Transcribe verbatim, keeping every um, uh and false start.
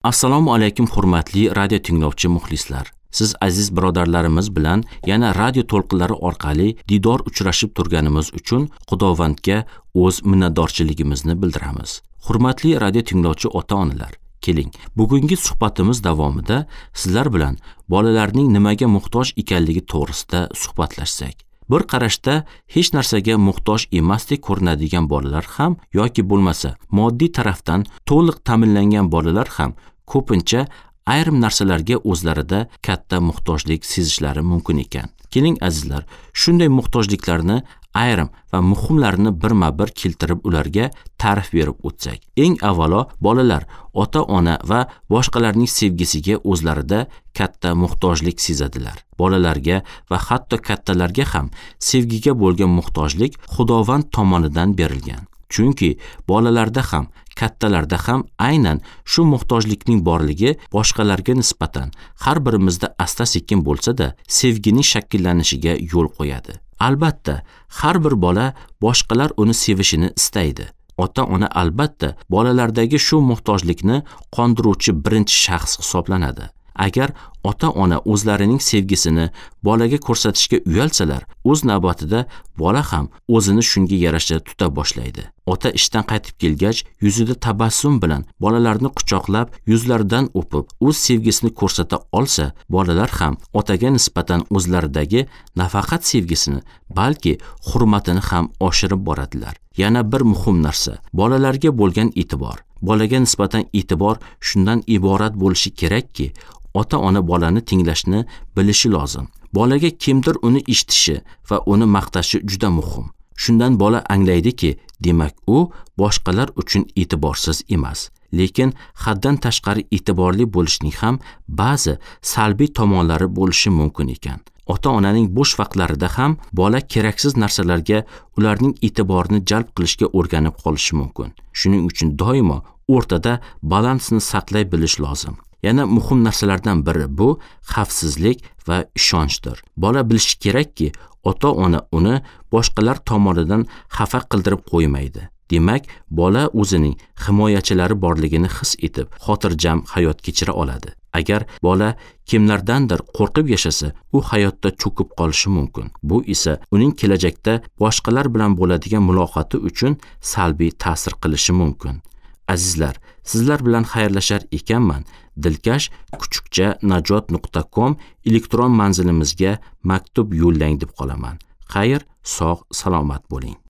Assalomu alaykum hurmatli radio tinglovchi muxlislar. Siz aziz birodarlarimiz bilan yana radio to'lqinlari orqali didor uchrashib turganimiz uchun Xudovandga o'z minnatdorchiligimizni bildiramiz. Hurmatli radio tinglovchi ota-onalar, keling, bugungi suhbatimiz davomida sizlar bilan bolalarning nimaga muhtoj ekanligi to'g'risida suhbatlashsak. Bir qarashda hech narsaga muhtoj emasdek ko'rinadigan bolalar ham yoki bo'lmasa moddiy tarafdan to'liq ta'minlangan bolalar ham ko'pincha ayrim narsalarga o'zlarida katta muhtojlik sezishlari mumkin ekan. Keling azizlar, shunday muhtojliklarni ayrim va muhimlarini birma-bir keltirib ularga ta'rif berib o'tsak. Eng avvalo bolalar ota-ona va boshqalarning sevgisiga o'zlarida katta muhtojlik sezadilar. Bolalarga va hatto kattalarga ham sevgiga bo'lgan muhtojlik Xudovand tomonidan berilgan. Chunki bolalarda ham, kattalarda ham aynan shu muhtojlikning borligi boshqalarga nisbatan har birimizda asta-sekin bo'lsa-da sevgining shakllanishiga yo'l qo'yadi. Albatta, har bir bola boshqalar uni sevishini istaydi. Ota-ona albatta bolalardagi shu muhtojlikni qondiruvchi birinchi shaxs hisoblanadi. Agar ota-ona o'zlarining sevgisini bolaga ko'rsatishga uyalsalar, o'z navbatida bola ham o'zini shunga yarasha tuta boshlaydi. Ota ishdan qaytib kelgach, yuzida tabassum bilan bolalarni quchoqlab, yuzlaridan o'pib, o'z sevgisini ko'rsata olsa, bolalar ham otaga nisbatan o'zlaridagi nafaqat sevgisini, balki hurmatini ham oshirib boradilar. Yana bir muhim narsa, bolalarga bo'lgan e'tibor. Bolaga nisbatan e'tibor shundan iborat bo'lishi kerakki, ota-ona bolani tinglashni bilishi lozim. Bolaga kimdir uni eshitishi va uni maqtashi juda muhim. Shundan bola anglaydiki, demak u boshqalar uchun e'tiborsiz emas. Lekin haddan tashqari e'tiborli bo'lishning ham ba'zi salbiy tomonlari bo'lishi mumkin ekan. Ota-onaning bo'sh vaqtlarida ham bola keraksiz narsalarga ularning e'tiborini jalb qilishga o'rganib qolishi mumkin. Shuning uchun doimo o'rtada balansni saqlay bilish lozim. Yana muhim narsalardan biri bu xavfsizlik va ishonchdir. Bola bilishi kerakki, ota-ona uni boshqalar tomonidan xafa qildirib qo'ymaydi. Demak, bola o'zining himoyachilari borligini his etib, xotirjam hayot kechira oladi. Agar bola kimlardandir qo'rqib yashasa, u hayotda cho'kib qolishi mumkin. Bu esa uning kelajakda boshqalar bilan bo'ladigan muloqoti uchun salbiy ta'sir qilishi mumkin. Azizlar, sizlar bilan xayrlashar ekanman, dilkash kuchukcha najot nuqta com elektron manzilimizga maktub yo'llang deb qolaman. Xayr, sog', salomat bo'ling.